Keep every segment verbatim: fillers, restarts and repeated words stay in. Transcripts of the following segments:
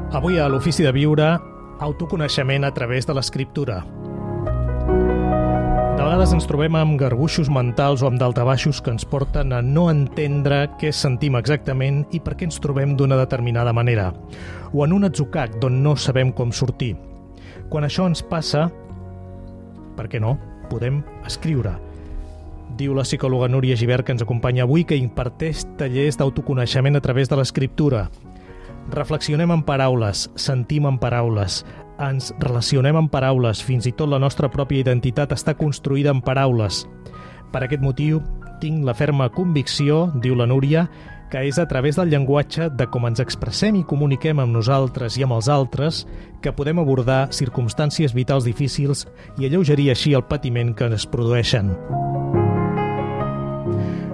Avui a l'Ofici de Viure, autoconeixement a través de l'escriptura. De vegades ens trobem amb garbuixos mentals o amb daltabaixos que ens porten a no entendre què sentim exactament i per què ens trobem d'una determinada manera, o en un atzucac d'on no sabem com sortir. Quan això ens passa, per què no? Podem escriure. Diu la psicòloga Núria Gibert, que ens acompanya avui, que imparteix tallers d'autoconeixement a través de l'escriptura. Reflexionem en paraules, sentim en paraules, ens relacionem en paraules, fins i tot la nostra pròpia identitat està construïda en paraules. Per aquest motiu, tinc la ferma convicció, diu la Núria, que és a través del llenguatge, de com ens expressem i comuniquem amb nosaltres i amb els altres, que podem abordar circumstàncies vitals difícils i alleugerir així el patiment que es produeixen.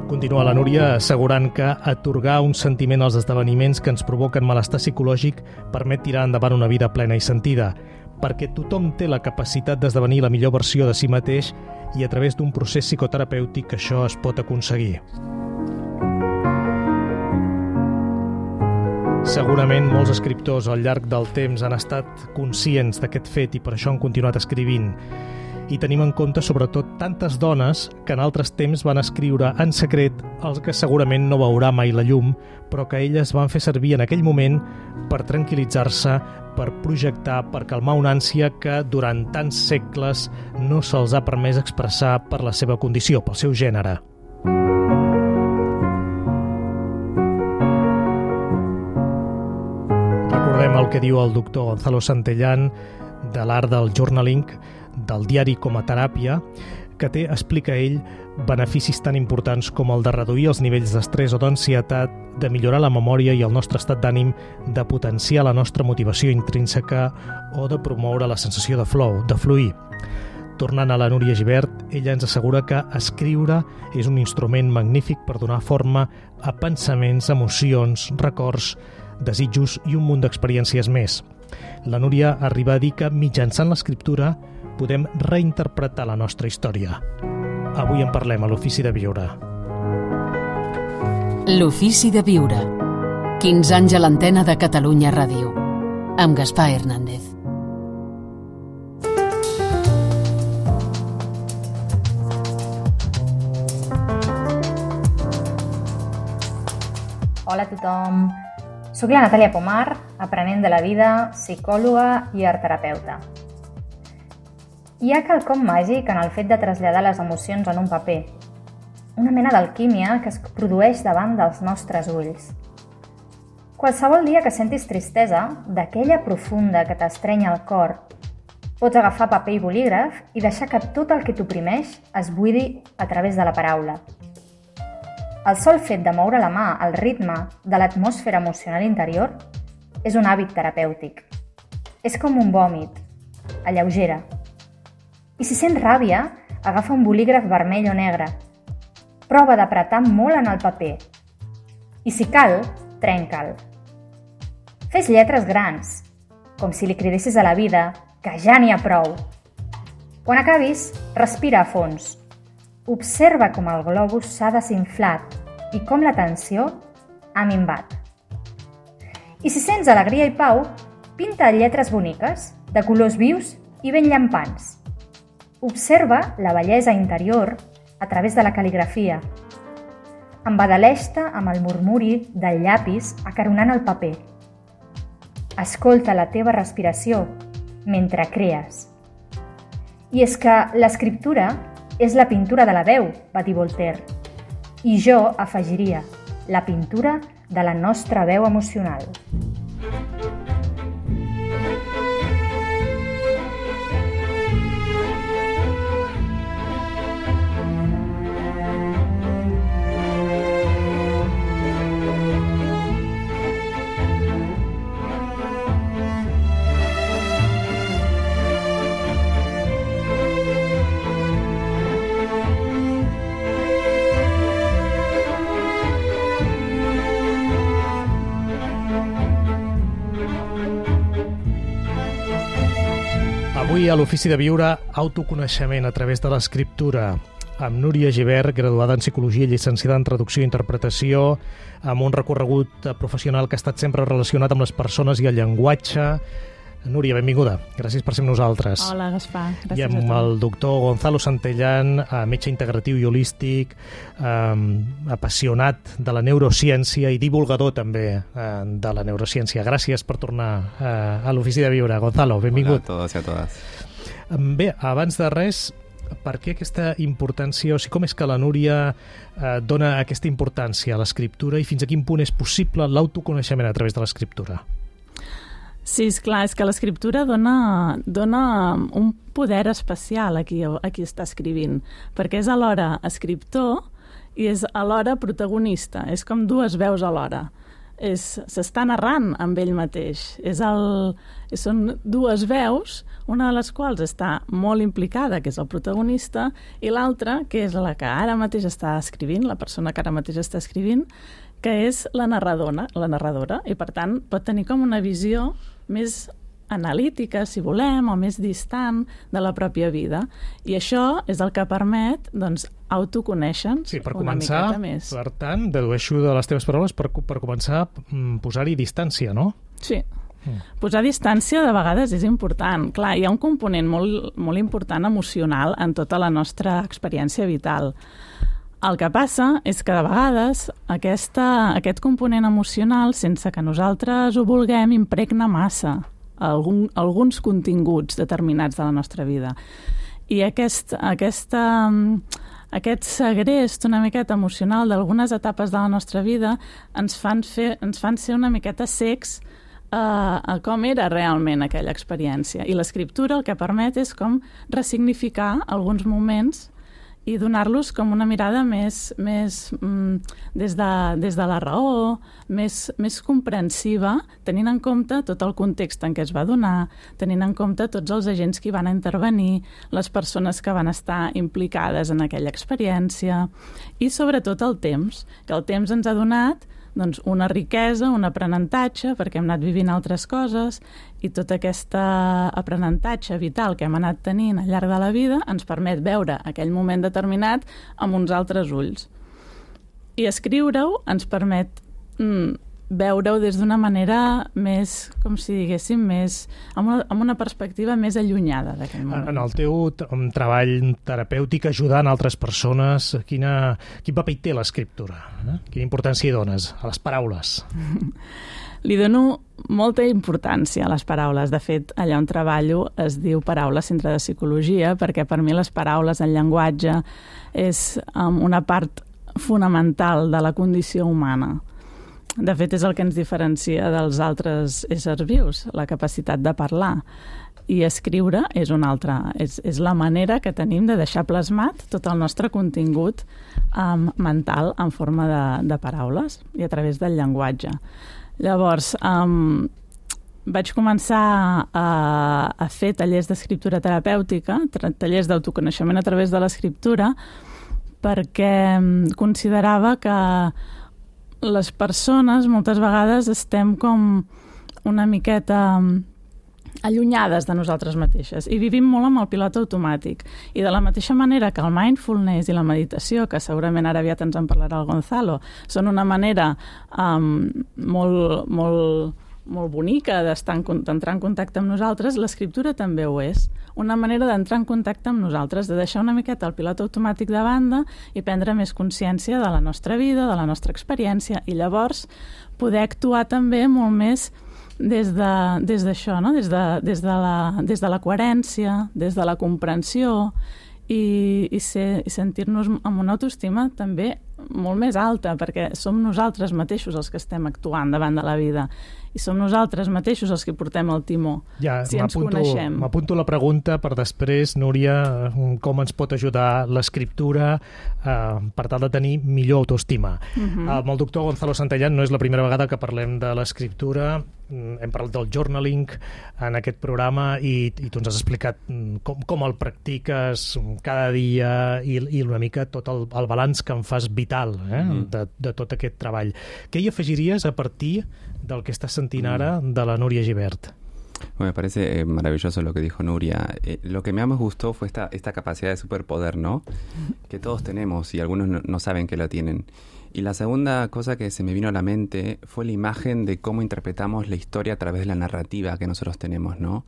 Continua la Núria assegurant que atorgar un sentiment als esdeveniments que ens provoquen malestar psicològic permet tirar endavant una vida plena i sentida, perquè tothom té la capacitat d'esdevenir la millor versió de si mateix i a través d'un procés psicoterapèutic això es pot aconseguir. Segurament molts escriptors al llarg del temps han estat conscients d'aquest fet i per això han continuat escrivint. I tenim en compte sobretot tantes dones que en altres temps van escriure en secret el que segurament no veurà mai la llum, però que elles van fer servir en aquell moment per tranquil·litzar-se, per projectar, per calmar una ànsia que durant tants segles no se'ls ha permès expressar per la seva condició, pel seu gènere. Recordem el que diu el doctor Gonzalo Santellán de l'art del journaling, del diari com a teràpia, que té, explica ell, beneficis tan importants com el de reduir els nivells d'estrès o d'ansietat, de millorar la memòria i el nostre estat d'ànim, de potenciar la nostra motivació intrínseca o de promoure la sensació de flow, de fluir. Tornant a la Núria Gibert, ella ens assegura que escriure és un instrument magnífic per donar forma a pensaments, emocions, records, desitjos i un munt d'experiències més. La Núria arriba a dir que mitjançant l'escriptura podem reinterpretar la nostra història. Avui en parlem a l'Ofici de Viure. L'Ofici de Viure. quinze anys a l'antena de Catalunya Ràdio. Amb Gaspar Hernández. Hola a tothom. Soc la Natàlia Pomar, aprenent de la vida, psicòloga i artterapeuta. Hi ha quelcom màgic en el fet de traslladar les emocions en un paper, una mena d'alquímia que es produeix davant dels nostres ulls. Qualsevol dia que sentis tristesa, d'aquella profunda que t'estrenya el cor, pots agafar paper i bolígraf i deixar que tot el que t'oprimeix es buidi a través de la paraula. El sol fet de moure la mà al ritme de l'atmosfera emocional interior és un hàbit terapèutic. És com un vòmit, alleugera. I si sents ràbia, agafa un bolígraf vermell o negre. Prova d'apretar molt en el paper. I si cal, trenca'l. Fes lletres grans, com si li cridessis a la vida que ja n'hi ha prou. Quan acabis, respira a fons. Observa com el globus s'ha desinflat i com la tensió ha minvat. I si sents alegria i pau, pinta lletres boniques, de colors vius i ben llampants. Observa la bellesa interior a través de la cal·ligrafia. Embadaleix-te amb el murmuri del llapis acaronant el paper. Escolta la teva respiració mentre crees. I és que l'escriptura és la pintura de la veu, va dir Voltaire. I jo afegiria la pintura de la nostra veu emocional. Avui a l'Ofici de Viure, autoconeixement a través de l'escriptura. amb Núria Gibert, graduada en Psicologia i llicenciada en Traducció i Interpretació, amb un recorregut professional que ha estat sempre relacionat amb les persones i el llenguatge. Núria, benvinguda. Gràcies per ser amb nosaltres. Hola, Gaspar. Gràcies I amb a tu. el doctor Gonzalo Santellán, metge integratiu i holístic, eh, apassionat de la neurociència i divulgador també eh, de la neurociència. Gràcies per tornar eh, a l'Ofici de Viure. Gonzalo, benvingut. Hola a todos y a todas. Bé, abans de res, per què aquesta importància, o sigui, com és que la Núria eh, dona aquesta importància a l'escriptura i fins a quin punt és possible l'autoconeixement a través de l'escriptura? Sí, és clar, és que l'escriptura dona, dona un poder especial a qui, a qui està escrivint, perquè és alhora escriptor i és alhora protagonista, és com dues veus alhora. S'està narrant amb ell mateix. És el, són dues veus, una de les quals està molt implicada, que és el protagonista, i l'altra, que és la que ara mateix està escrivint, la persona que ara mateix està escrivint, que és la narradora, la narradora, i per tant pot tenir com una visió més analítica, si volem, o més distant de la pròpia vida. I això és el que permet, doncs, autoconèixer-nos sí, per una començar, miqueta més. Per tant, dedueixo de les teves paraules, per, per començar a posar-hi distància, no? Sí. Mm. Posar distància de vegades és important. Clar, hi ha un component molt, molt important emocional en tota la nostra experiència vital. El que passa és que de vegades aquesta, aquest component emocional, sense que nosaltres ho vulguem, impregna massa algun, alguns continguts determinats de la nostra vida. I aquest, aquesta, aquest segrest una miqueta emocional d'algunes etapes de la nostra vida ens fan, fer, ens fan ser una miqueta cecs a, a com era realment aquella experiència. I l'escriptura el que permet és com ressignificar alguns moments i donar-los com una mirada més, més mm, des, de, des de la raó, més, més comprensiva, tenint en compte tot el context en què es va donar, tenint en compte tots els agents que hi van intervenir, les persones que van estar implicades en aquella experiència i sobretot el temps, que el temps ens ha donat doncs, una riquesa, un aprenentatge, perquè hem anat vivint altres coses i tot aquest aprenentatge vital que hem anat tenint al llarg de la vida ens permet veure aquell moment determinat amb uns altres ulls. I escriure-ho ens permet mm, veure-ho des d'una manera més, com si diguéssim, més, amb, una, amb una perspectiva més allunyada d'aquell moment. En el teu treball terapèutic ajudant altres persones, quina, quin paper hi té l'escriptura? Eh? Quina importància hi dones a les paraules? Li dono molta importància a les paraules. De fet, allà on treballo es diu Paraules Centre de Psicologia, perquè per mi les paraules, el llenguatge, és um, una part fonamental de la condició humana. De fet, és el que ens diferencia dels altres éssers vius, la capacitat de parlar. I escriure és una altra, és, és la manera que tenim de deixar plasmat tot el nostre contingut um, mental en forma de, de paraules i a través del llenguatge. Llavors, um, vaig començar a, a fer tallers d'escriptura terapèutica, tallers d'autoconeixement a través de l'escriptura, perquè considerava que les persones moltes vegades estem com una miqueta allunyades de nosaltres mateixes i vivim molt amb el pilot automàtic. I de la mateixa manera que el mindfulness i la meditació, que segurament ara aviat ens en parlarà el Gonzalo, són una manera um, molt, molt, molt bonica d'entrar en contacte amb nosaltres, l'escriptura també ho és. Una manera d'entrar en contacte amb nosaltres, de deixar una miqueta el pilot automàtic de banda i prendre més consciència de la nostra vida, de la nostra experiència, i llavors poder actuar també molt més des de, des d'això, no? des, de, des, de la, des de la coherència, des de la comprensió i, i, ser, i sentir-nos amb una autoestima també molt més alta, perquè som nosaltres mateixos els que estem actuant davant de la vida i som nosaltres mateixos els que portem el timó, ja, si ens coneixem. M'apunto la pregunta per després, Núria, com ens pot ajudar l'escriptura eh, per tal de tenir millor autoestima. Uh-huh. Amb el doctor Gonzalo Santellán no és la primera vegada que parlem de l'escriptura, hem parlat del journaling en aquest programa i, i tu ens has explicat com, com el practiques cada dia i, i una mica tot el, el balanç que en fas vital eh, uh-huh. de, de tot aquest treball. Què hi afegiries a partir del que estàs sentint ara de la Núria Gibert? Bueno, me parece eh, maravilloso lo que dijo Nuria. Eh, lo que más me gustó fue esta, esta capacidad de superpoder, ¿no? Que todos tenemos y algunos no, no saben que lo tienen. Y la segunda cosa que se me vino a la mente fue la imagen de cómo interpretamos la historia a través de la narrativa que nosotros tenemos, ¿no?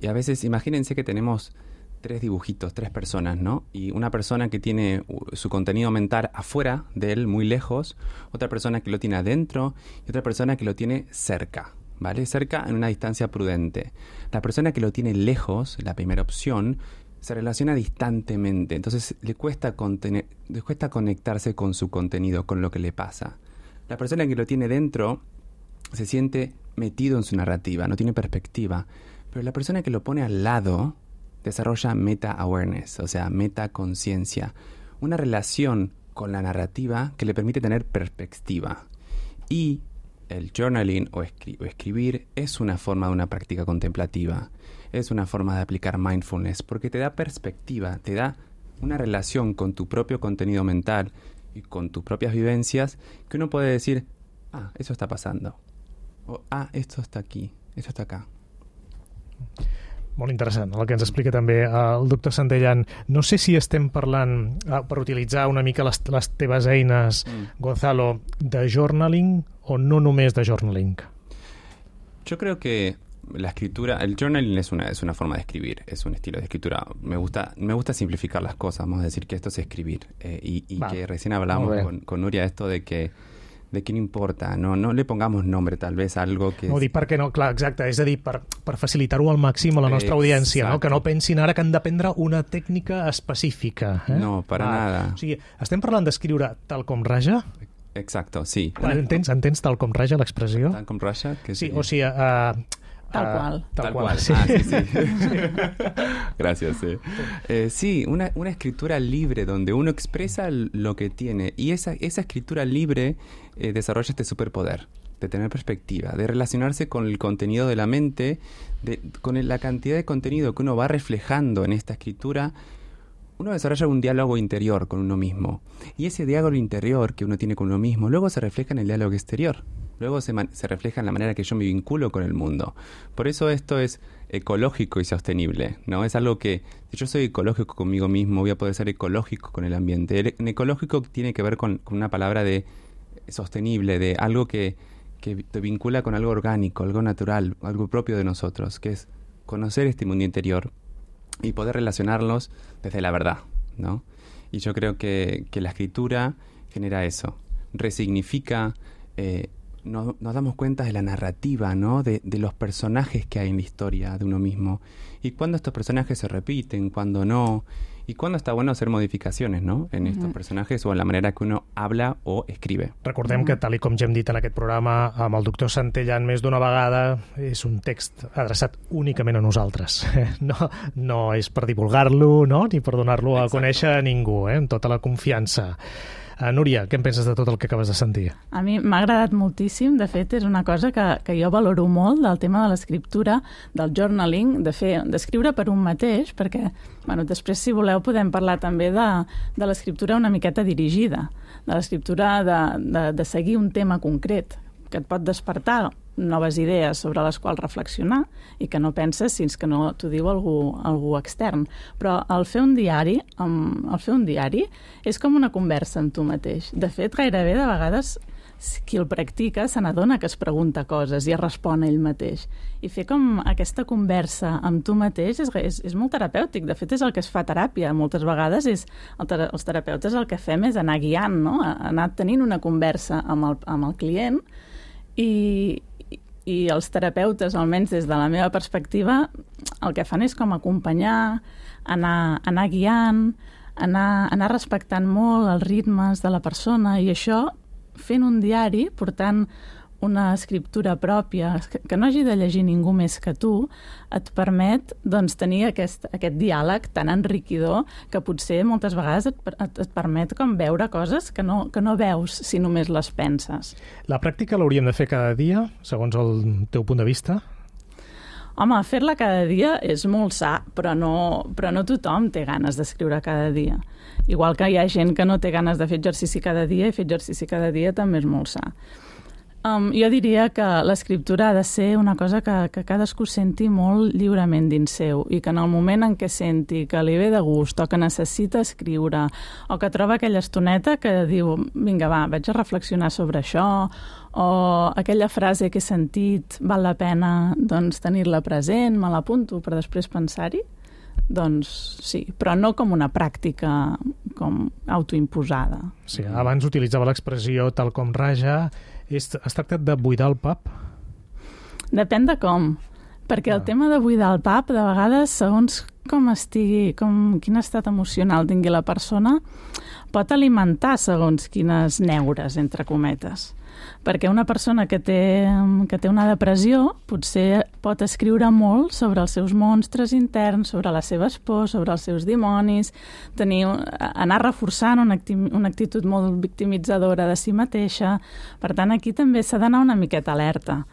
Y a veces, imagínense que tenemos tres dibujitos, tres personas, ¿no? Y una persona que tiene su contenido mental afuera de él, muy lejos, otra persona que lo tiene adentro y otra persona que lo tiene cerca, ¿vale? Cerca en una distancia prudente. La persona que lo tiene lejos, la primera opción, se relaciona distantemente, entonces le cuesta, contener, le cuesta conectarse con su contenido, con lo que le pasa. La persona que lo tiene dentro se siente metido en su narrativa, no tiene perspectiva, pero la persona que lo pone al lado desarrolla meta-awareness, o sea, meta-conciencia, una relación con la narrativa que le permite tener perspectiva. Y el journaling o, escri- o escribir es una forma de una práctica contemplativa. Es una forma de aplicar mindfulness porque te da perspectiva, te da una relación con tu propio contenido mental y con tus propias vivencias que uno puede decir, ah, eso está pasando. O, ah, esto está aquí, esto está acá. Molt interessant, el que ens explica també el doctor Santellan. No sé si estem parlant, per utilitzar una mica les, les teves eines, mm. Gonzalo, de journaling o no només de journaling? Yo creo que la escritura, el journaling es una, es una forma de escribir, es un estilo de escritura. Me gusta, me gusta simplificar las cosas, vamos a decir que esto es escribir. Eh, y y vale. Que recién hablamos con, con Nuria esto de que de que no importa, no, no le pongamos nombre tal vez a algo que... No, dic perquè no, clar, exacte, és a dir, per, per facilitar-ho al màxim a la nostra Exacte. audiència, no? Que no pensin ara que han d'aprendre una tècnica específica. Eh? No, para ah, nada. O sigui, estem parlant d'escriure tal com raja? Exacto, sí. Entens, entens tal com raja l'expressió? Tal com raja? Que sí, sí, o sigui... Uh, Tal cual. Tal, tal cual. cual. Sí. Ah, sí, sí. Gracias. Sí, eh, sí una, una escritura libre donde uno expresa lo que tiene y esa, esa escritura libre eh, desarrolla este superpoder de tener perspectiva, de relacionarse con el contenido de la mente, de, con el, la cantidad de contenido que uno va reflejando en esta escritura. Uno desarrolla un diálogo interior con uno mismo y ese diálogo interior que uno tiene con uno mismo luego se refleja en el diálogo exterior. Luego se, man- se refleja en la manera que yo me vinculo con el mundo. Por eso esto es ecológico y sostenible, ¿no? Es algo que, si yo soy ecológico conmigo mismo, voy a poder ser ecológico con el ambiente. El, el ecológico tiene que ver con, con una palabra de sostenible, de algo que, que te vincula con algo orgánico, algo natural, algo propio de nosotros, que es conocer este mundo interior y poder relacionarlos desde la verdad, ¿no? Y yo creo que, que la escritura genera eso, resignifica... Eh, Nos, nos damos cuenta de la narrativa, ¿no? De, de los personajes que hay en la historia de uno mismo. Y cuándo estos personajes se repiten, cuándo no. Y cuándo está bueno hacer modificacions, no? En estos uh-huh. personajes o en la manera que uno habla o escribe. Recordem uh-huh. que, tal i com ja hem dit en aquest programa, amb el doctor Santellan més d'una vegada, és un text adreçat únicament a nosaltres. No, no és per divulgar-lo, no? Ni per donar-lo a Exacte. conèixer a ningú, eh? Amb tota la confiança. Uh, Núria, què en penses de tot el que acabes de sentir? A mi m'ha agradat moltíssim, de fet és una cosa que, que jo valoro molt del tema de l'escriptura, del journaling, de fer, d'escriure per un mateix, perquè bueno, després si voleu podem parlar també de, de l'escriptura una miqueta dirigida, de l'escriptura de, de, de seguir un tema concret, que et pot despertar noves idees sobre les quals reflexionar i que no penses fins que no t'ho diu algú, algú extern. Però el fer un diari, el fer un diari és com una conversa amb tu mateix. De fet, gairebé de vegades qui el practica se n'adona que es pregunta coses i es respon ell mateix. I fer com aquesta conversa amb tu mateix és, és, és molt terapèutic. De fet, és el que es fa a teràpia. Moltes vegades és, el ter- els terapeutes el que fem és anar guiant, no? Anar tenint una conversa amb el, amb el client i, i els terapeutes, almenys des de la meva perspectiva, el que fan és com acompanyar, anar, anar guiant, anar, anar respectant molt els ritmes de la persona i això, fent un diari, portant una escriptura pròpia, que no hagi de llegir ningú més que tu, et permet doncs, tenir aquest, aquest diàleg tan enriquidor que potser moltes vegades et, et, et permet com veure coses que no, que no veus si només les penses. La pràctica l'hauríem de fer cada dia, segons el teu punt de vista? Home, fer-la cada dia és molt sa, però no, però no tothom té ganes d'escriure cada dia. Igual que hi ha gent que no té ganes de fer exercici cada dia i fer exercici cada dia també és molt sa. Um, jo diria que l'escriptura ha de ser una cosa que, que cadascú senti molt lliurement dins seu i que en el moment en què senti que li ve de gust o que necessita escriure o que troba aquella estoneta que diu vinga va, vaig a reflexionar sobre això o aquella frase que he sentit val la pena doncs, tenir-la present, me l'apunto per després pensar-hi, doncs sí, però no com una pràctica com autoimposada. Sí, abans utilitzava l'expressió tal com raja. Es, es tracta de buidar el pap? Depèn de com, perquè ah. el tema de buidar el pap, de vegades, segons com estigui, com, quin estat emocional tingui la persona, pot alimentar segons quines neures, entre cometes. Perquè una persona que té, que té una depressió potser pot escriure molt sobre els seus monstres interns, sobre les seves pors, sobre els seus dimonis, tenir, anar reforçant una, una actitud molt victimitzadora de si mateixa. Per tant, aquí també s'ha d'anar una miqueta alerta.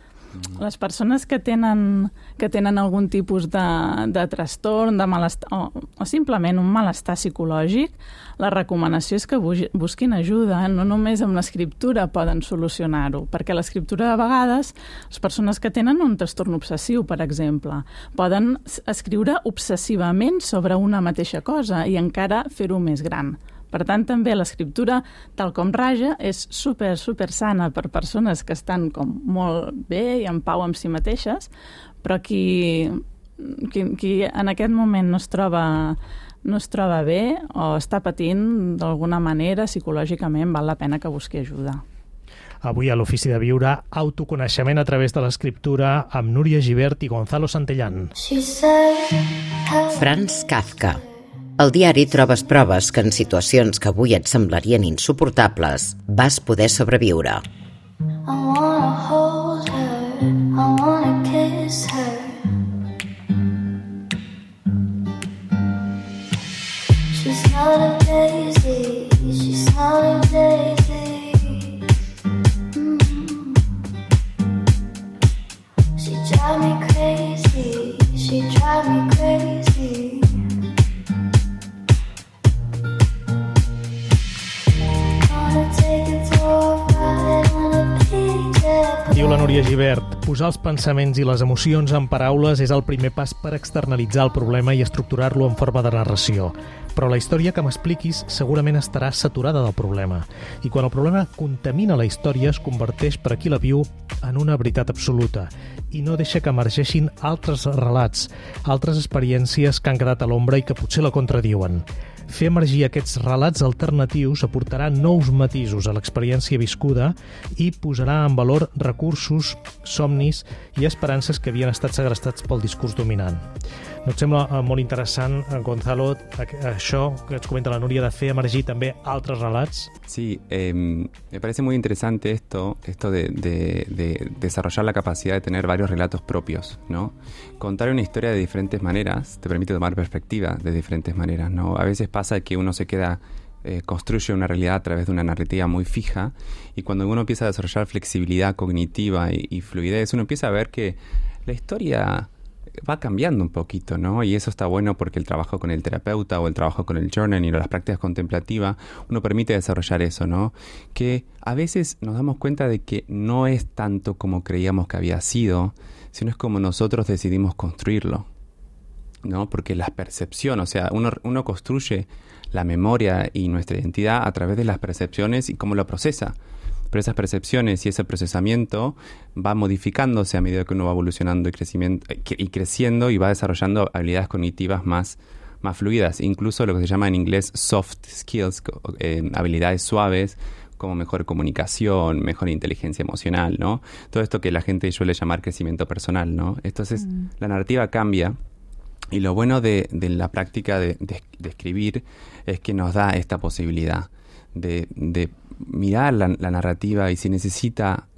Les persones que tenen, que tenen algun tipus de, de trastorn, de malestar, o, o simplement un malestar psicològic, la recomanació és que busquin ajuda. No només amb l'escriptura poden solucionar-ho, perquè l'escriptura de vegades, les persones que tenen un trastorn obsessiu, per exemple, poden escriure obsessivament sobre una mateixa cosa i encara fer-ho més gran. Per tant, també l'escriptura, tal com raja, és super, super sana per persones que estan com molt bé i en pau amb si mateixes, però qui, qui, qui en aquest moment no es troba, no es troba bé o està patint d'alguna manera psicològicament, val la pena que busqui ajuda. Avui a l'Ofici de Viure, autoconeixement a través de l'escriptura amb Núria Gibert i Gonzalo Santellán. Franz Kafka. Al diari trobes proves que en situacions que avui et semblarien insuportables vas poder sobreviure. I wanna hold her, I wanna kiss her. She's not a daisy, she's not a daisy. Mm-hmm. She drive me crazy, she drive me crazy. Diu la Núria Gibert, posar els pensaments i les emocions en paraules és el primer pas per externalitzar el problema i estructurar-lo en forma de narració. Però la història que m'expliquis segurament estarà saturada del problema. I quan el problema contamina la història es converteix per a qui la viu en una veritat absoluta i no deixa que emergeixin altres relats, altres experiències que han quedat a l'ombra i que potser la contradiuen. Fer emergir aquests relats alternatius aportarà nous matisos a l'experiència viscuda i posarà en valor recursos, somnis i esperances que havien estat segrestats pel discurs dominant. ¿No et sembla molt interessant, Gonzalo, això que ens comenta la Núria de fer emergir també altres relats? Sí, eh, me parece muy interesante esto, esto de, de, de desarrollar la capacidad de tener varios relatos propios, ¿no? Contar una historia de diferentes maneras te permite tomar perspectiva de diferentes maneras, ¿no? A veces pasa que uno se queda, eh, construye una realidad a través de una narrativa muy fija y cuando uno empieza a desarrollar flexibilidad cognitiva y, y fluidez, uno empieza a ver que la historia va cambiando un poquito, ¿no? Y eso está bueno porque el trabajo con el terapeuta o el trabajo con el journaling o las prácticas contemplativas, uno permite desarrollar eso, ¿no? Que a veces nos damos cuenta de que no es tanto como creíamos que había sido, sino es como nosotros decidimos construirlo, ¿no? Porque la percepción, o sea, uno, uno construye la memoria y nuestra identidad a través de las percepciones y cómo lo procesa. Pero esas percepciones y ese procesamiento va modificándose a medida que uno va evolucionando y, crecimiento, y creciendo y va desarrollando habilidades cognitivas más, más fluidas. Incluso lo que se llama en inglés soft skills, eh, habilidades suaves, como mejor comunicación, mejor inteligencia emocional, ¿no? Todo esto que la gente suele llamar crecimiento personal, ¿no? Entonces, mm. la narrativa cambia. Y lo bueno de, de la práctica de, de, de escribir es que nos da esta posibilidad de, de mirar la, la narrativa y si necesita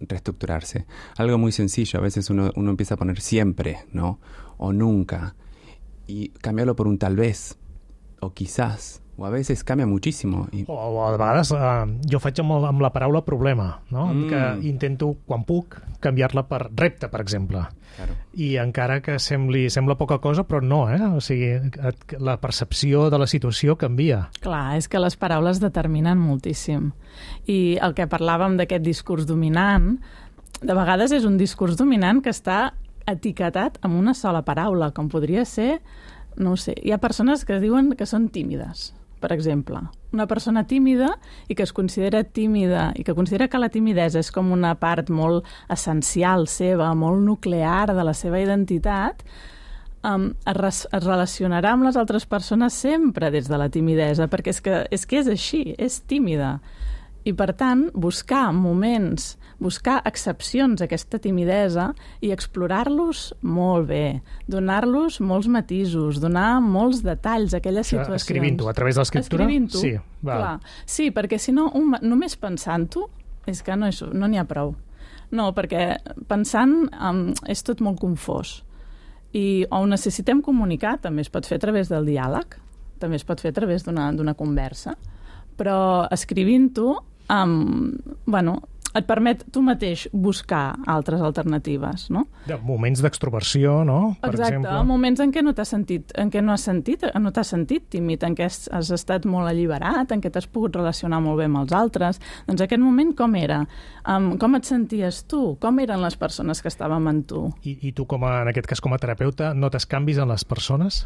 reestructurarse. Algo muy sencillo, a veces uno, uno empieza a poner siempre, ¿no? O nunca. Y cambiarlo por un tal vez, o quizás, o a veces cambia muchísimo. Y... O, o a vegades eh, jo faig amb, el, amb la paraula problema, no? Mm. Que intento, quan puc, canviar-la per repte, per exemple. Claro. I encara que sembli, sembla poca cosa, però no, eh? O sigui, et, la percepció de la situació canvia. Clar, és que les paraules determinen moltíssim. I el que parlàvem d'aquest discurs dominant, de vegades és un discurs dominant que està etiquetat amb una sola paraula, com podria ser, no ho sé, hi ha persones que diuen que són tímides, per exemple. Una persona tímida i que es considera tímida i que considera que la timidesa és com una part molt essencial seva, molt nuclear de la seva identitat, um, es, res, es relacionarà amb les altres persones sempre des de la timidesa, perquè és que és, que és així, és tímida. I, per tant, buscar moments, buscar excepcions a aquesta timidesa i explorar-los molt bé, donar-los molts matisos, donar molts detalls a aquelles situacions. Escrivint-ho a través de l'escriptura? Escrivint-ho, sí, val. clar. Sí, perquè si no, un, només pensant-ho, és que no n'hi no ha prou. No, perquè pensant um, és tot molt confós. I o ho necessitem comunicar, també es pot fer a través del diàleg, també es pot fer a través d'una conversa, però escrivint-ho, um, bueno, et permet tu mateix buscar altres alternatives, no? De moments d'extroversió, no? Per Exacte, exemple. moments en què no t'has sentit, en què no has sentit, no t'has sentit tímid, en què has, has estat molt alliberat, en què t'has pogut relacionar molt bé amb els altres. Doncs aquest moment com era? Um, com et senties tu? Com eren les persones que estàvem amb tu? I, i tu, com a, en aquest cas com a terapeuta, notes canvis en les persones?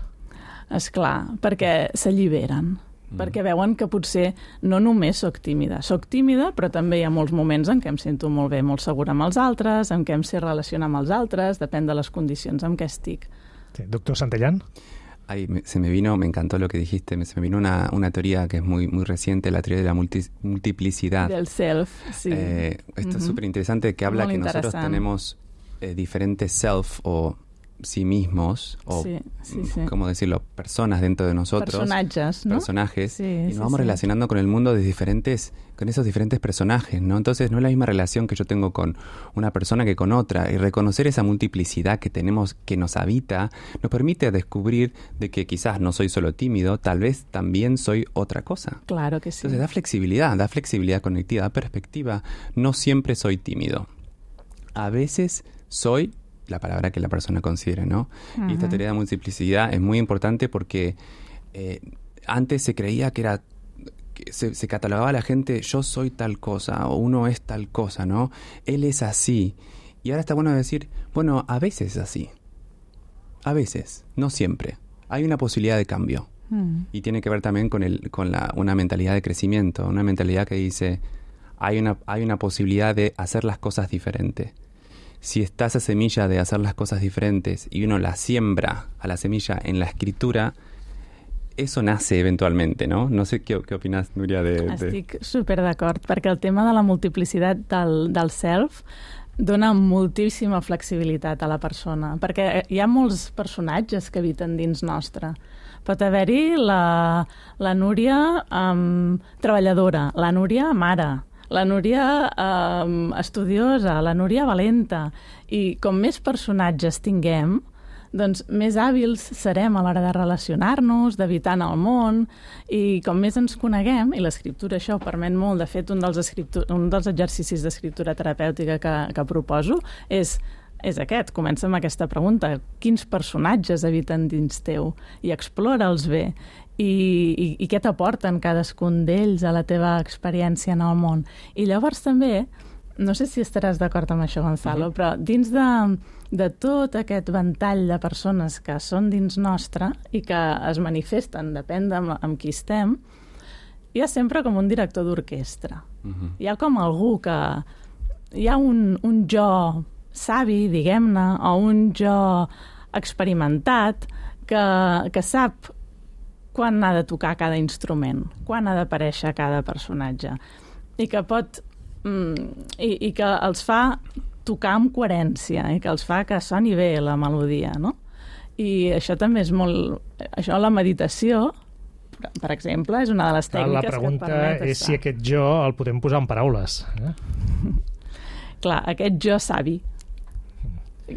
Esclar, perquè s'alliberen. Perquè veuen que potser no només sóc tímida. Soc tímida, però també hi ha molts moments en què em sento molt bé, molt segura amb els altres, en què em sé relacionar amb els altres, depèn de les condicions en què estic. Sí. Doctor Santellán. Ay, me, se me vino, me encantó lo que dijiste, me, se me vino una, una teoría que es muy, muy reciente, la teoría de la multi, multiplicidad. Del self, sí. Eh, esto Uh-huh. es súper interesante, que habla Muy que nosotros tenemos eh, diferentes self o sí mismos, o, sí, sí, sí. ¿cómo decirlo?, personas dentro de nosotros. Personajes, ¿no? Personajes. Sí, y nos sí, vamos sí. relacionando con el mundo de diferentes, con esos diferentes personajes, ¿no? Entonces no es la misma relación que yo tengo con una persona que con otra. Y reconocer esa multiplicidad que tenemos, que nos habita, nos permite descubrir de que quizás no soy solo tímido, tal vez también soy otra cosa. Claro que sí. Entonces da flexibilidad, da flexibilidad cognitiva, da perspectiva. No siempre soy tímido. A veces soy la palabra que la persona considere, ¿no? Uh-huh. Y esta teoría de multiplicidad es muy importante porque eh, antes se creía que era, que se, se catalogaba a la gente, yo soy tal cosa, o uno es tal cosa, ¿no? Él es así. Y ahora está bueno decir, bueno, a veces es así. A veces, no siempre. Hay una posibilidad de cambio. Uh-huh. Y tiene que ver también con, el, con la, una mentalidad de crecimiento, una mentalidad que dice, hay una, hay una posibilidad de hacer las cosas diferentes. Si está esa semilla de hacer las cosas diferentes y uno la siembra a la semilla en la escritura, eso nace eventualmente, ¿no? No sé què, què opines, Núria, de... de... Estic super d'acord, perquè el tema de la multiplicitat del, del self dona moltíssima flexibilitat a la persona, perquè hi ha molts personatges que habiten dins nostre. Pot haver-hi la, la Núria um, treballadora, la Núria mare, la Núria eh, estudiosa, la Núria valenta. I com més personatges tinguem, doncs més hàbils serem a l'hora de relacionar-nos, d'habitar en el món, i com més ens coneguem, i l'escriptura això ho permet molt, de fet un dels, un dels exercicis d'escriptura terapèutica que, que proposo és és aquest, comença amb aquesta pregunta. Quins personatges habiten dins teu? I explora'ls bé. I, i, i què t'aporten cadascun d'ells a la teva experiència en el món? I llavors també, no sé si estaràs d'acord amb això, Gonzalo, uh-huh. però dins de, de tot aquest ventall de persones que són dins nostre i que es manifesten, depèn de amb, amb qui estem, hi ha sempre com un director d'orquestra. Uh-huh. Hi ha com algú que... Hi ha un, un jo savi, diguem-ne, o un jo experimentat que, que sap quan ha de tocar cada instrument, quan ha d'aparèixer cada personatge, i que pot mm, i, i que els fa tocar amb coherència, i que els fa que soni bé la melodia, no? I això també és molt... Això, la meditació, per exemple, és una de les tècniques que et permet estar. La pregunta és si aquest jo el podem posar en paraules. Eh? Clar, aquest jo savi.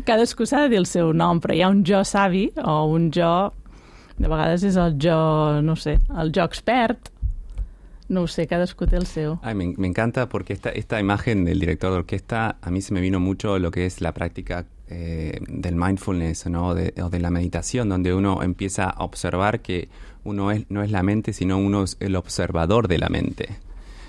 Cadascú s'ha de dir el seu nom, però hi ha un jo savi o un jo De vegades és el jo, no sé, el jo expert. No ho sé, cadascú té el seu. Ay, me, me encanta porque esta, esta imagen del director de orquesta, a mí se me vino mucho lo que es la práctica eh, del mindfulness, ¿no? De, o de la meditación, donde uno empieza a observar que uno es, no es la mente, sino uno es el observador de la mente.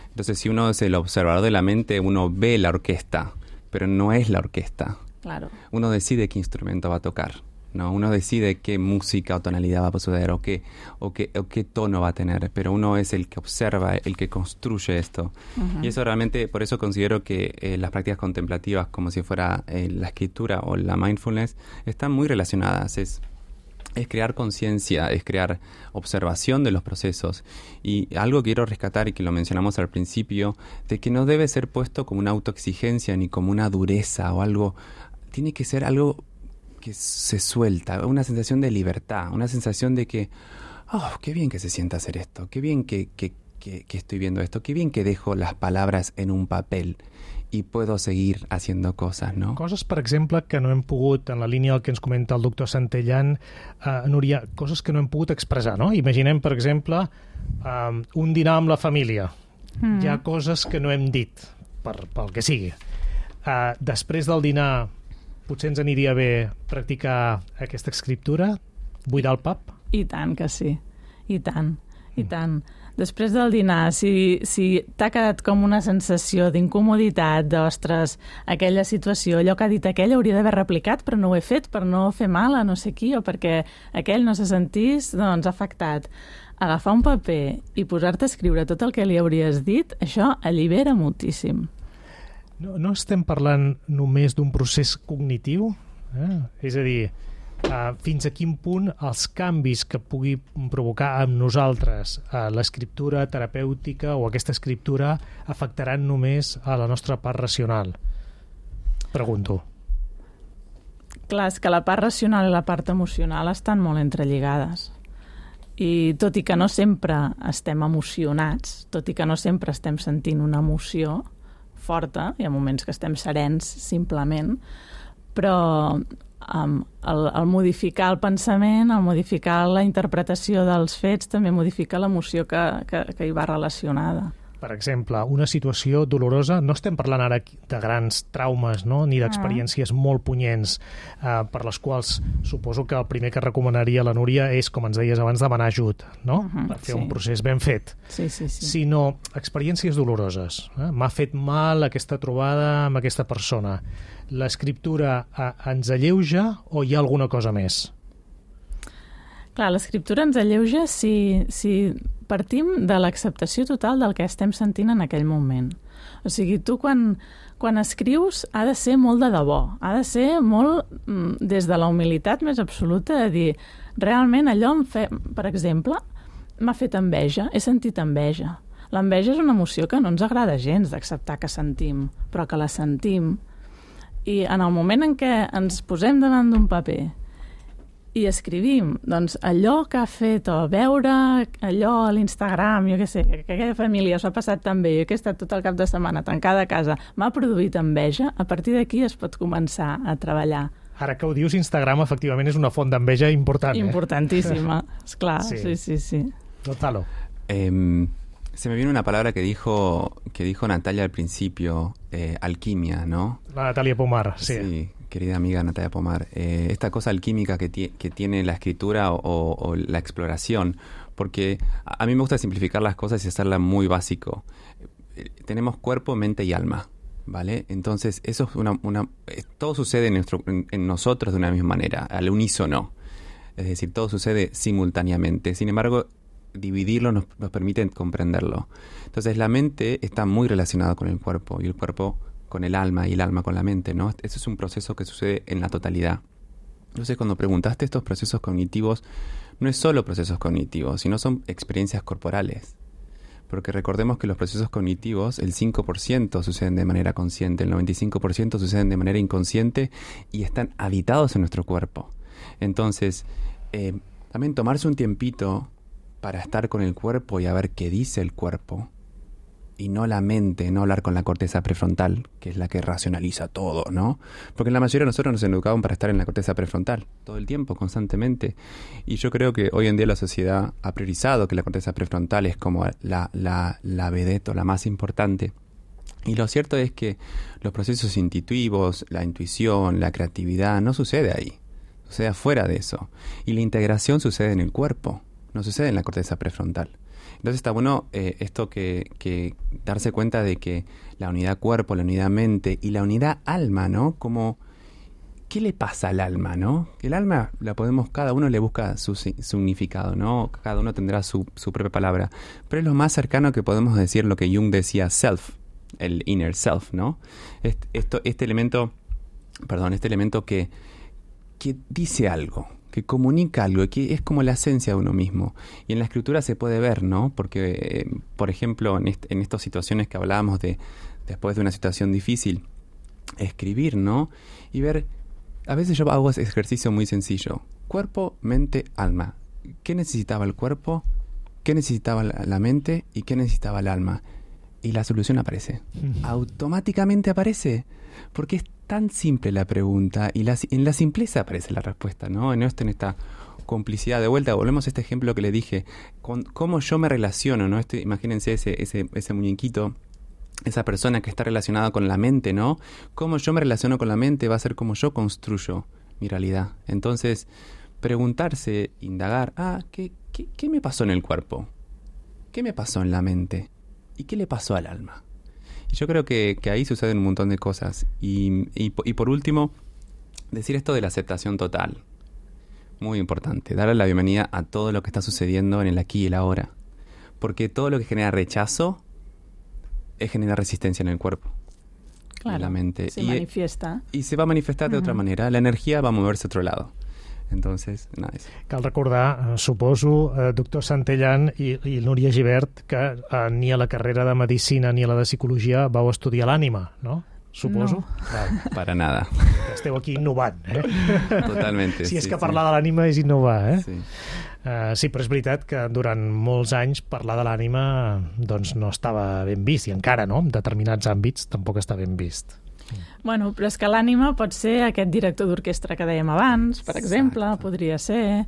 Entonces, si uno es el observador de la mente, uno ve la orquesta, pero no es la orquesta. Claro. Uno decide qué instrumento va a tocar, ¿no? Uno decide qué música o tonalidad va a suceder o qué, o qué, o qué tono va a tener, pero uno es el que observa, el que construye esto. Uh-huh. Y eso realmente, por eso considero que eh, las prácticas contemplativas, como si fuera eh, la escritura o la mindfulness, están muy relacionadas. Es, es crear conciencia, es crear observación de los procesos. Y algo que quiero rescatar, y que lo mencionamos al principio, de que no debe ser puesto como una autoexigencia ni como una dureza o algo. Tiene que ser algo que se suelta, una sensación de libertad, una sensación de que, oh, qué bien que se sienta hacer esto, qué bien que, que, que, que estoy viendo esto, qué bien que dejo las palabras en un papel i puedo seguir haciendo cosas, ¿no? Coses, per exemple, que no hem pogut, en la línia del que ens comenta el doctor Santellan, uh, Núria, coses que no hem pogut expressar, no? Imaginem, per exemple, um, un dinar amb la família. Mm. Hi ha coses que no hem dit, per, pel que sigui. Uh, després del dinar, potser ens aniria bé practicar aquesta escriptura, buidar el pap? I tant que sí, i tant, i tant. Després del dinar, si, si t'ha quedat com una sensació d'incomoditat, d'ostres, aquella situació, allò que ha dit aquell hauria d'haver replicat, però no ho he fet per no fer mal a no sé qui, o perquè aquell no se sentís, doncs, afectat. Agafar un paper i posar-te a escriure tot el que li hauries dit, això allibera moltíssim. No, no estem parlant només d'un procés cognitiu? Eh? És a dir, uh, fins a quin punt els canvis que pugui provocar amb nosaltres uh, l'escriptura terapèutica o aquesta escriptura afectaran només a la nostra part racional? Pregunto. Clar, és que la part racional i la part emocional estan molt entrelligades. I tot i que no sempre estem emocionats, tot i que no sempre estem sentint una emoció forta, hi ha moments que estem serens simplement, però um, el, el modificar el pensament, el modificar la interpretació dels fets, també modifica l'emoció que, que, que hi va relacionada. Per exemple, una situació dolorosa, no estem parlant ara de grans traumes, no? Ni d'experiències ah. molt punyents, eh, per les quals suposo que el primer que recomanaria la Núria és, com ens deies abans, demanar ajut, no? Uh -huh, per fer sí. un procés ben fet. Sí, sí, sí. Sinó experiències doloroses. Eh? M'ha fet mal aquesta trobada amb aquesta persona. L'escriptura eh, ens alleuja o hi ha alguna cosa més? Clar, l'escriptura ens alleuja si, si partim de l'acceptació total del que estem sentint en aquell moment. O sigui, tu quan, quan escrius ha de ser molt de debò, ha de ser molt mm, des de la humilitat més absoluta, de dir, realment allò em fe... per exemple, m'ha fet enveja, he sentit enveja. L'enveja és una emoció que no ens agrada gens d'acceptar que sentim, però que la sentim. I en el moment en què ens posem davant d'un paper i escrivim, doncs allò que ha fet, o veure allò a l'Instagram, jo què sé, que aquella família s'ha passat tan bé, jo que he estat tot el cap de setmana tancada a casa, m'ha produït enveja, a partir d'aquí es pot començar a treballar. Ara que ho dius, Instagram efectivament és una font d'enveja important. Eh? Importantísima, esclar, sí, sí, sí. sí. Notalo. Eh, se me viene una palabra que dijo, que dijo Natalia al principio, eh, alquimia, ¿no? La Natalia Pomar, sí. Sí. Querida amiga Natalia Pomar, eh, esta cosa alquímica que, ti- que tiene la escritura o, o la exploración, porque a, a mí me gusta simplificar las cosas y hacerla muy básico. Eh, tenemos cuerpo, mente y alma, ¿vale? Entonces, eso es una, una eh, todo sucede en, nuestro, en, en nosotros de una misma manera, al unísono. Es decir, todo sucede simultáneamente. Sin embargo, dividirlo nos, nos permite comprenderlo. Entonces, la mente está muy relacionada con el cuerpo y el cuerpo con el alma y el alma con la mente, ¿no? Eso es un proceso que sucede en la totalidad. Entonces, cuando preguntaste estos procesos cognitivos, no es solo procesos cognitivos, sino son experiencias corporales. Porque recordemos que los procesos cognitivos, el cinco por ciento suceden de manera consciente, el noventa y cinco por ciento suceden de manera inconsciente y están habitados en nuestro cuerpo. Entonces, eh, también tomarse un tiempito para estar con el cuerpo y a ver qué dice el cuerpo, y no la mente, no hablar con la corteza prefrontal, que es la que racionaliza todo, ¿no? Porque la mayoría de nosotros nos educaban para estar en la corteza prefrontal, todo el tiempo, constantemente. Y yo creo que hoy en día la sociedad ha priorizado que la corteza prefrontal es como la, la, la vedette o la más importante. Y lo cierto es que los procesos intuitivos, la intuición, la creatividad, no sucede ahí, sucede afuera de eso. Y la integración sucede en el cuerpo, no sucede en la corteza prefrontal. Entonces está bueno eh, esto que, que darse cuenta de que la unidad cuerpo, la unidad mente y la unidad alma, ¿no? Como, ¿qué le pasa al alma, no? El alma la podemos, cada uno le busca su significado, ¿no? Cada uno tendrá su, su propia palabra. Pero es lo más cercano que podemos decir lo que Jung decía, self, el inner self, ¿no? Este, esto, este elemento, perdón, este elemento que, que dice algo, que comunica algo, que es como la esencia de uno mismo. Y en la escritura se puede ver, ¿no? Porque, eh, por ejemplo, en, est en estas situaciones que hablábamos de después de una situación difícil, escribir, ¿no? Y ver, a veces yo hago ese ejercicio muy sencillo. Cuerpo, mente, alma. ¿Qué necesitaba el cuerpo? ¿Qué necesitaba la, la mente? ¿Y qué necesitaba el alma? Y la solución aparece. Uh-huh. Automáticamente aparece. Porque es tan simple la pregunta y la, en la simpleza aparece la respuesta, ¿no? En, esto, en esta complicidad. De vuelta, volvemos a este ejemplo que le dije. Con cómo yo me relaciono, ¿no? Este, imagínense ese, ese, ese muñequito, esa persona que está relacionada con la mente, ¿no? Cómo yo me relaciono con la mente va a ser como yo construyo mi realidad. Entonces, preguntarse, indagar, ah, ¿qué, qué, qué me pasó en el cuerpo? ¿Qué me pasó en la mente? ¿Y qué le pasó al alma? Y yo creo que, que ahí suceden un montón de cosas. Y, y, y por último, decir esto de la aceptación total. Muy importante. Darle la bienvenida a todo lo que está sucediendo en el aquí y el ahora. Porque todo lo que genera rechazo es generar resistencia en el cuerpo. Claro, en la mente. se y, manifiesta. Y se va a manifestar de uh-huh. otra manera. La energía va a moverse a otro lado. Entonces, nice. Cal recordar, eh, suposo, eh, doctor Santellan i, i Núria Gibert, que eh, ni a la carrera de Medicina ni a la de Psicologia vau estudiar l'ànima, no? Suposo. No. Claro. Para nada. Esteu aquí innovant, eh? Totalmente. Si és sí, que sí. parlar de l'ànima és innovar, eh? Sí. Uh, sí, però és veritat que durant molts anys parlar de l'ànima doncs no estava ben vist, i encara, no? En determinats àmbits tampoc està ben vist. Bueno, però és que l'ànima pot ser aquest director d'orquestra que dèiem abans, per exemple, Exacte. Podria ser...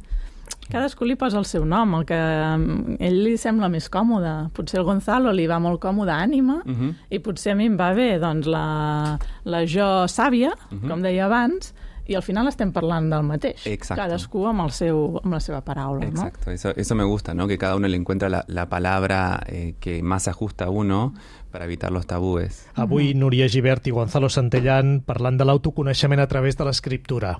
Cadascú li posa el seu nom, el que a ell li sembla més còmode. Potser el Gonzalo li va molt còmode ànima, uh-huh. i potser a mi em va bé doncs, la, la jo sàvia, uh-huh. com deia abans, i al final estem parlant del mateix. Exacto. Cadascú amb, el seu, amb la seva paraula. Exacto, ¿no? eso, eso me gusta, ¿no? Que cada uno le encuentra la, la palabra eh, que más se ajusta a uno para evitar los tabúes. Avui Núria Gibert i Gonzalo Santellan parlant de l'autoconeixement a través de l'escriptura.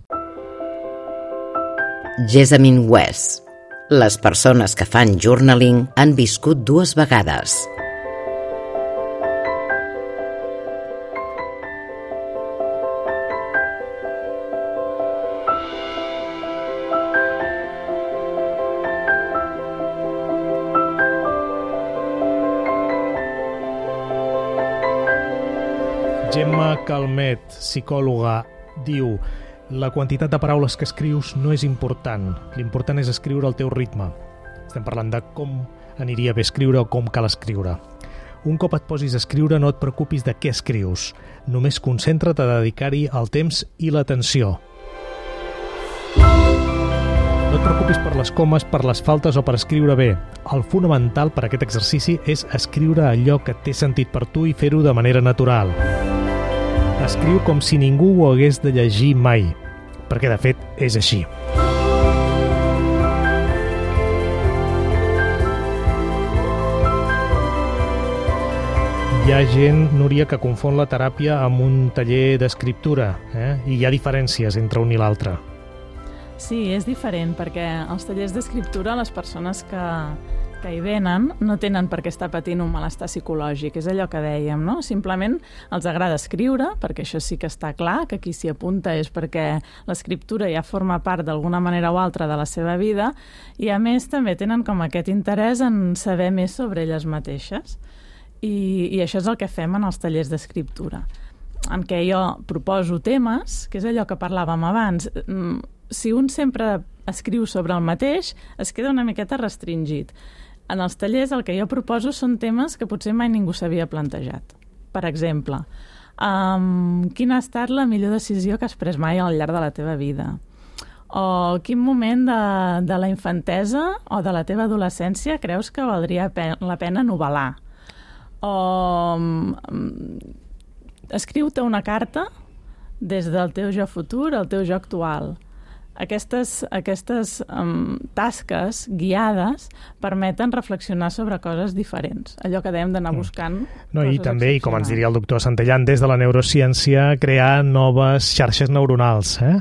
Jessamine West. Les persones que fan journaling han viscut dues vegades. Gemma Calmet, psicòloga, diu: la quantitat de paraules que escrius no és important. L'important és escriure al teu ritme. Estem parlant de com aniria bé escriure o com cal escriure. Un cop et posis a escriure, no et preocupis de què escrius. Només concentra't a dedicar-hi el temps i l'atenció. No et preocupis per les comes, per les faltes o per escriure bé. El fonamental per a aquest exercici és escriure allò que té sentit per tu i fer-ho de manera natural. Escriu com si ningú ho hagués de llegir mai, perquè de fet és així. Hi ha gent, Núria, que confon la teràpia amb un taller d'escriptura, eh? I hi ha diferències entre un i l'altre. Sí, és diferent, perquè als tallers d'escriptura les persones que, que hi venen no tenen per què estar patint un malestar psicològic, és allò que dèiem, no? Simplement els agrada escriure, perquè això sí que està clar, que qui s'hi apunta és perquè l'escriptura ja forma part d'alguna manera o altra de la seva vida, i a més també tenen com aquest interès en saber més sobre elles mateixes. I, i això és el que fem en els tallers d'escriptura, en què jo proposo temes, que és allò que parlàvem abans. Si un sempre escriu sobre el mateix, es queda una miqueta restringit. en els tallers el que jo proposo són temes que potser mai ningú s'havia plantejat. Per exemple, um, quina ha estat la millor decisió que has pres mai al llarg de la teva vida? O quin moment de, de la infantesa o de la teva adolescència creus que valdria pe- la pena novel·lar? O um, escriu-te una carta des del teu jo futur al teu jo actual. Aquestes, aquestes um, tasques guiades permeten reflexionar sobre coses diferents. Allò que dèiem d'anar buscant no, coses i també, i com ens diria el excepcionals. doctor Santellan, des de la neurociència, crear noves xarxes neuronals, eh?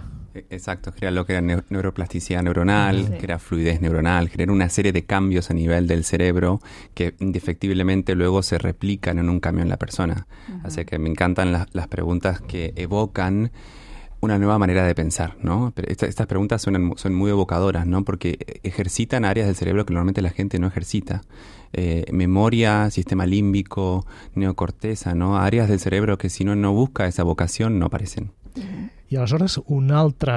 Exacto, crear lo que era neu- neuroplasticidad neuronal, Sí. crear fluidez neuronal, crear una serie de cambios a nivel del cerebro que indefectiblemente luego se replican en un cambio en la persona. Uh-huh. Así que me encantan las, las preguntas que evocan una nueva manera de pensar, ¿no? Pero esta, estas preguntas son, son muy evocadoras, ¿no? Porque ejercitan áreas del cerebro que normalmente la gente no ejercita. Eh, memoria, sistema límbico, neocorteza, ¿no? Áreas del cerebro que si uno no busca esa vocación no aparecen. Uh-huh. I aleshores, un altre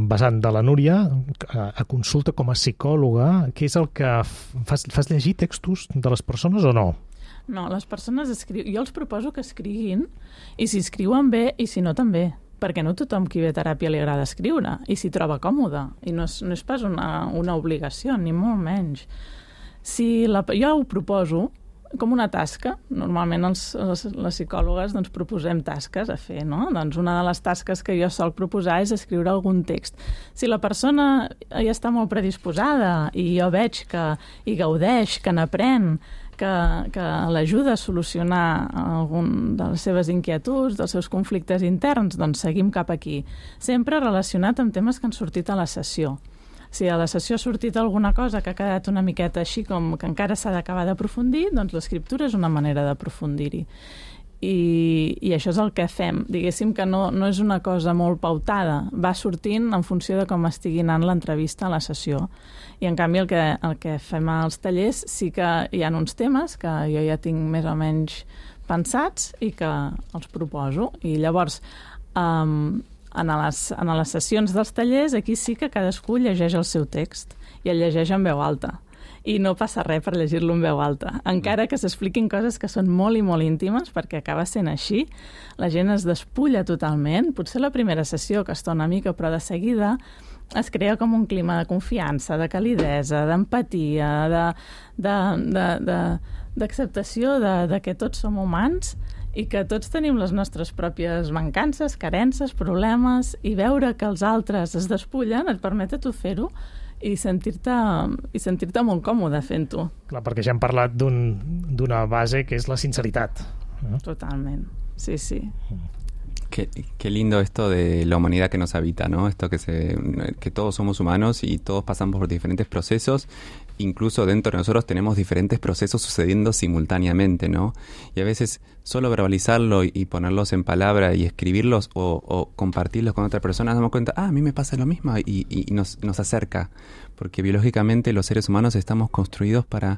vessant de la Núria, a, a consulta com a psicòloga, què és el que fas, fas llegir textos de les persones o no? No, les persones escriuen... Jo els proposo que escriguin, i si escriuen bé, i si no també, perquè no tothom qui ve a teràpia li agrada escriure, i s'hi troba còmode, i no és, no és pas una, una obligació, ni molt menys. Si la, jo ho proposo com una tasca. Normalment els, les, les psicòlogues doncs, proposem tasques a fer, no? Doncs una de les tasques que jo sol proposar és escriure algun text. Si la persona ja està molt predisposada i jo veig que hi gaudeix, que n'aprèn, que, que l'ajuda a solucionar algun de les seves inquietuds, dels seus conflictes interns, doncs seguim cap aquí. Sempre relacionat amb temes que han sortit a la sessió. Si a la sessió ha sortit alguna cosa que ha quedat una miqueta així com que encara s'ha d'acabar d'aprofundir, doncs l'escriptura és una manera d'aprofundir-hi. I, I això és el que fem. Diguéssim que no, no és una cosa molt pautada. Va sortint en funció de com estigui anant l'entrevista a la sessió. I en canvi el que, el que fem als tallers sí que hi ha uns temes que jo ja tinc més o menys pensats i que els proposo. I llavors... Um, En les, en les sessions dels tallers, aquí sí que cadascú llegeix el seu text i el llegeix en veu alta. I no passa res per llegir-lo en veu alta. Encara que s'expliquin coses que són molt i molt íntimes, perquè acaba sent així, la gent es despulla totalment. Potser la primera sessió que està una mica, però de seguida es crea com un clima de confiança, de calidesa, d'empatia, de, de, de, de, d'acceptació de, de que tots som humans i que tots tenim les nostres pròpies mancances, carences, problemes, i veure que els altres es despullen et permet a tu fer-ho i sentir-te i sentir-te molt còmode fent-ho. Clar, perquè ja hem parlat d'un, d'una base que és la sinceritat. Eh? Totalment, sí, sí. Qué, qué lindo esto de la humanidad que nos habita, ¿no? Esto que se, que todos somos humanos y todos pasamos por diferentes procesos. Incluso dentro de nosotros tenemos diferentes procesos sucediendo simultáneamente, ¿no? Y a veces solo verbalizarlo y, y ponerlos en palabra y escribirlos o, o compartirlos con otra persona, nos damos cuenta, ah, a mí me pasa lo mismo y, y nos, nos acerca. Porque biológicamente los seres humanos estamos construidos para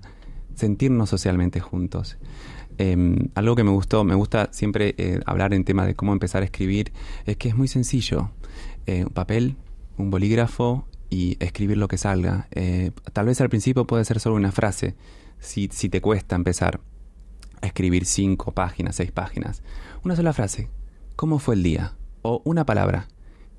sentirnos socialmente juntos. Eh, algo que me gustó, me gusta siempre eh, hablar en tema de cómo empezar a escribir, es que es muy sencillo. Eh, un papel, un bolígrafo y escribir lo que salga. Eh, tal vez al principio puede ser solo una frase, si, si te cuesta empezar a escribir cinco páginas, seis páginas. Una sola frase, ¿cómo fue el día? O una palabra,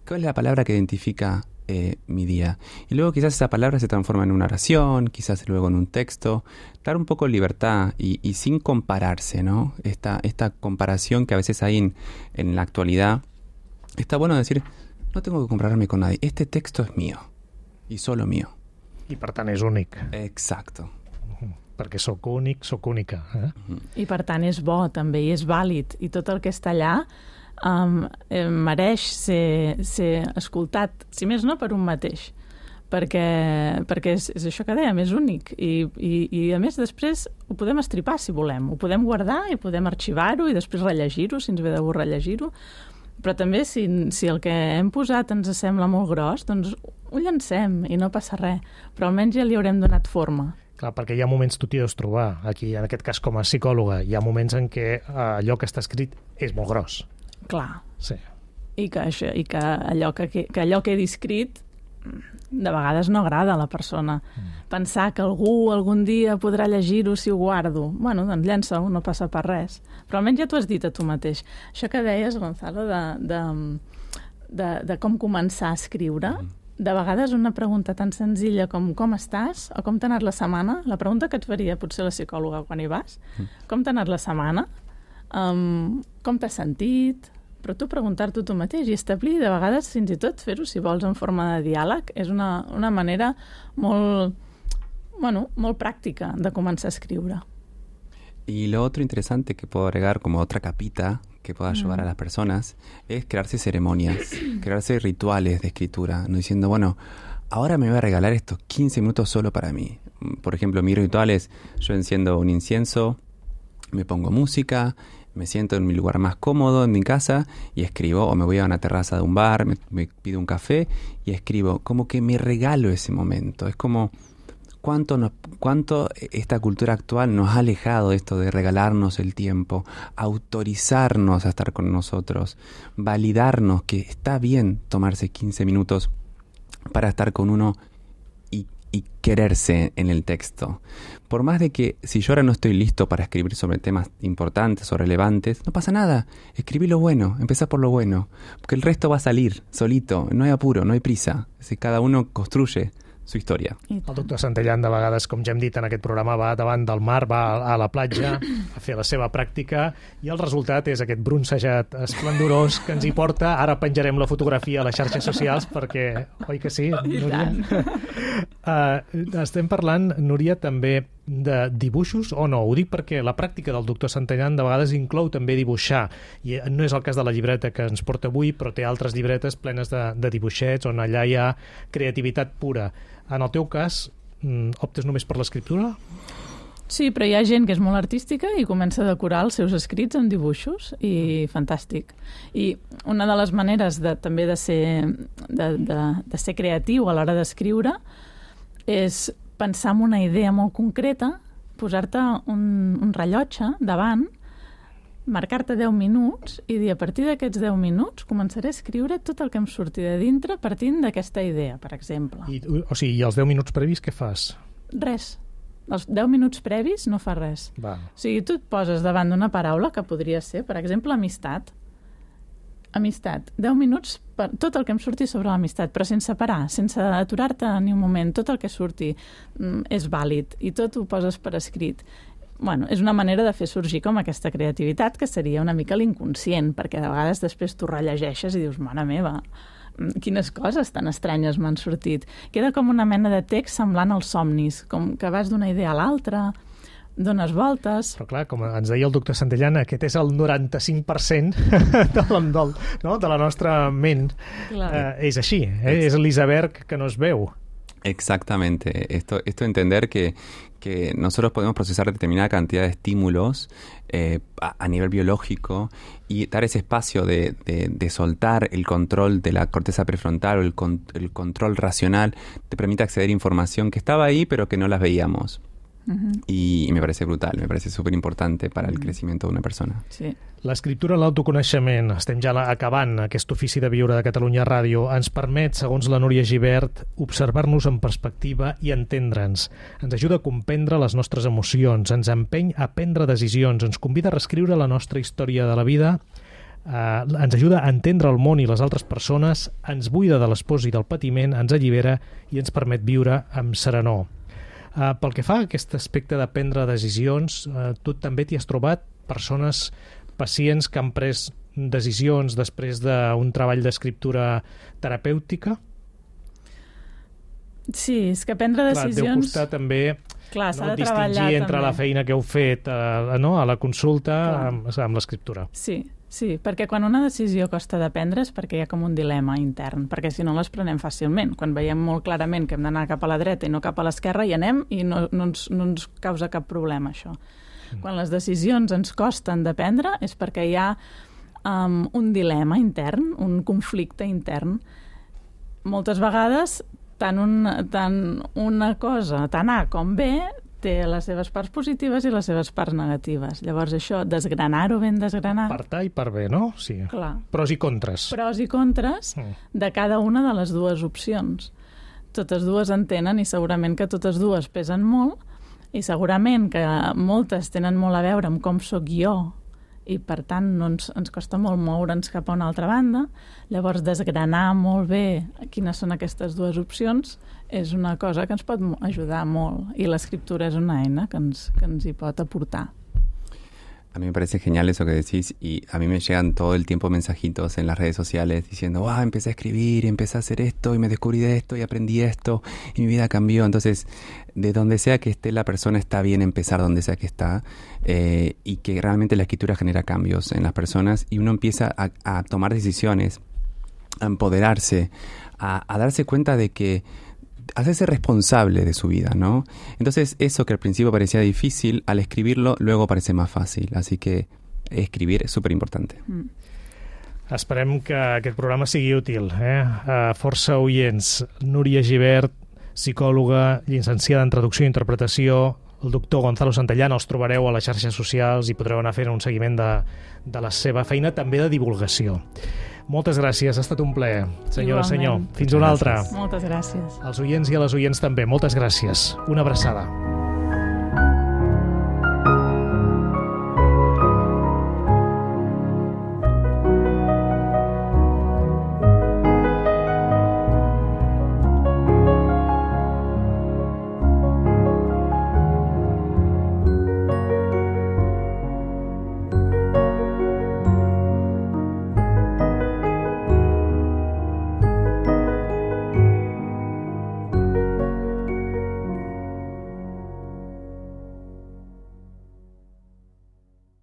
¿cuál es la palabra que identifica eh, mi día? Y luego quizás esa palabra se transforma en una oración, quizás luego en un texto. Dar un poco de libertad y, y sin compararse, ¿no? Esta, esta comparación que a veces hay en, en la actualidad. Está bueno decir, no tengo que compararme con nadie, este texto es mío i solo mío. I per tant és únic. Exacto. Uh-huh. Perquè sóc únic, sóc única. Eh? Uh-huh. I per tant és bo també, i és vàlid. I tot el que està allà um, eh, mereix ser, ser escoltat, si més no, per un mateix. Perquè, perquè és, és això que dèiem, és únic. I, i, I a més després ho podem estripar si volem. Ho podem guardar i podem arxivar-ho i després rellegir-ho, si ens ve de gust rellegir-ho. Però també si, si el que hem posat ens sembla molt gros, doncs ho llancem i no passa res. Però almenys ja li haurem donat forma. Clar, perquè hi ha moments, tu t'hi deus trobar, aquí, en aquest cas com a psicòloga, hi ha moments en què eh, allò que està escrit és molt gros. Clar. Sí. I que, això, i que, allò, que, que allò que he descrit de vegades no agrada a la persona. Mm. Pensar que algú algun dia podrà llegir-ho si ho guardo. Bueno, doncs llença-ho, no passa per res. Però almenys ja t'ho has dit a tu mateix. Això que deies, Gonzalo, de, de, de, de com començar a escriure, mm. de vegades una pregunta tan senzilla com com estàs o com t'ha anat la setmana, la pregunta que et faria potser la psicòloga quan hi vas, mm. com t'ha anat la setmana, um, com t'has sentit, però tu preguntar-t'ho tu mateix i establir, de vegades fins i tot fer-ho, si vols, en forma de diàleg, és una, una manera molt, bueno, molt pràctica de començar a escriure. Y lo otro interesante que puedo agregar como otra capita que pueda ayudar mm. a las personas es crearse ceremonias, crearse rituales de escritura, no diciendo, bueno, ahora me voy a regalar estos quince minutos solo para mí. Por ejemplo, mi ritual es, yo enciendo un incienso, me pongo música, me siento en mi lugar más cómodo en mi casa y escribo, o me voy a una terraza de un bar, me, me pido un café y escribo, como que me regalo ese momento. Es como cuánto, nos, cuánto esta cultura actual nos ha alejado de esto de regalarnos el tiempo, autorizarnos a estar con nosotros, validarnos que está bien tomarse quince minutos para estar con uno y, y quererse en el texto. Por más de que si yo ahora no estoy listo para escribir sobre temas importantes o relevantes, no pasa nada. Escribí lo bueno, empezá por lo bueno, porque el resto va a salir solito, no hay apuro, no hay prisa. Si cada uno construye su història. El doctor Santellan, de vegades, com ja hem dit en aquest programa, va davant del mar, va a la platja a fer la seva pràctica i el resultat és aquest bronzejat esplendorós que ens hi porta. Ara penjarem la fotografia a les xarxes socials perquè, oi que sí, Núria? uh, estem parlant, Núria, també de dibuixos o no? Ho dic perquè la pràctica del doctor Santellan de vegades inclou també dibuixar, i no és el cas de la llibreta que ens porta avui, però té altres llibretes plenes de, de dibuixets on allà hi ha creativitat pura. En el teu cas, optes només per l'escriptura? Sí, però hi ha gent que és molt artística i comença a decorar els seus escrits amb dibuixos i fantàstic. I una de les maneres de, també de ser, de, de, de ser creatiu a l'hora d'escriure és pensar en una idea molt concreta, posar-te un, un rellotge davant, marcar-te deu minuts i dir, a partir d'aquests deu minuts començaré a escriure tot el que em surti de dintre partint d'aquesta idea, per exemple. I, o sigui, i els deu minuts previs què fas? Res. Els deu minuts previs no fa res. Va. O sigui, tu et poses davant d'una paraula que podria ser, per exemple, amistat. Amistat. deu minuts per tot el que em surti sobre l'amistat, però sense parar, sense aturar-te ni un moment. Tot el que surti mm, és vàlid i tot ho poses per escrit. Bueno, és una manera de fer sorgir com aquesta creativitat que seria una mica l'inconscient, perquè de vegades després tu rellegeixes i dius, mare meva, quines coses tan estranyes m'han sortit. Queda com una mena de text semblant als somnis, com que vas d'una idea a l'altra, dones voltes... Però clar, com ens deia el doctor Santellan, aquest és el noranta-cinc per cent de, del, no? de la nostra ment. Eh, és així, eh? és l'iceberg que no es veu. Exactamente. Esto, esto entender que, que nosotros podemos procesar determinada cantidad de estímulos eh, a, a nivel biológico y dar ese espacio de, de, de soltar el control de la corteza prefrontal o el, con, el control racional te permite acceder a información que estaba ahí pero que no las veíamos. Uh-huh. I me parece brutal, me parece súper importante para el crecimiento d'una persona. Sí. L'escriptura, l'autoconeixement, estem ja acabant aquest ofici de viure de Catalunya Ràdio, ens permet, segons la Núria Gibert, observar-nos en perspectiva i entendre'ns. Ens ajuda a comprendre les nostres emocions, ens empeny a prendre decisions, ens convida a reescriure la nostra història de la vida, eh, ens ajuda a entendre el món i les altres persones, ens buida de l'espòs i del patiment, ens allibera i ens permet viure amb serenor. Uh, pel que fa a aquest aspecte de prendre decisions, uh, tu també t'hi has trobat persones, pacients que han pres decisions després d'un treball d'escriptura terapèutica? Sí, és que prendre decisions... Clar, deu costar també Clar, no, de distingir entre també la feina que heu fet uh, no, a la consulta amb, amb l'escriptura. Sí, sí, perquè quan una decisió costa de prendre és perquè hi ha com un dilema intern, perquè si no les prenem fàcilment. Quan veiem molt clarament que hem d'anar cap a la dreta i no cap a l'esquerra, hi anem i no, no, ens, no ens causa cap problema, això. Mm. Quan les decisions ens costen de prendre és perquè hi ha um, un dilema intern, un conflicte intern. Moltes vegades, tant, un, tant una cosa, tant A com B, té les seves parts positives i les seves parts negatives. Llavors això, desgranar-ho ben desgranat... Per A i per B, no? Sí. Clar. Pros i contres. Pros i contres mm. de cada una de les dues opcions. totes dues en tenen i segurament que totes dues pesen molt i segurament que moltes tenen molt a veure amb com sóc jo i per tant no ens, ens costa molt moure'ns cap a una altra banda. Llavors desgranar molt bé quines són aquestes dues opcions és una cosa que ens pot ajudar molt i l'escriptura és una eina que ens, que ens hi pot aportar. A mí me parece genial eso que decís y a mí me llegan todo el tiempo mensajitos en las redes sociales diciendo, ah, empecé a escribir, empecé a hacer esto y me descubrí de esto y aprendí esto y mi vida cambió. Entonces, de donde sea que esté la persona está bien empezar donde sea que está eh, y que realmente la escritura genera cambios en las personas y uno empieza a, a tomar decisiones, a empoderarse, a, a darse cuenta de que hacerse responsable de su vida, ¿no? Entonces, eso que al principio parecía difícil, al escribirlo, luego parece más fácil. Así que escribir és superimportante. Mm. Esperem que aquest programa sigui útil, eh? A força oients. Núria Gibert, psicòloga, llicenciada en traducció i interpretació, el doctor Gonzalo Santellana, els trobareu a les xarxes socials i podreu anar fent un seguiment de, de la seva feina, també de divulgació. Moltes gràcies, ha estat un plaer, senyora, senyor. Fins una altra. Moltes gràcies. Als oients i a les oients també, moltes gràcies. Una abraçada.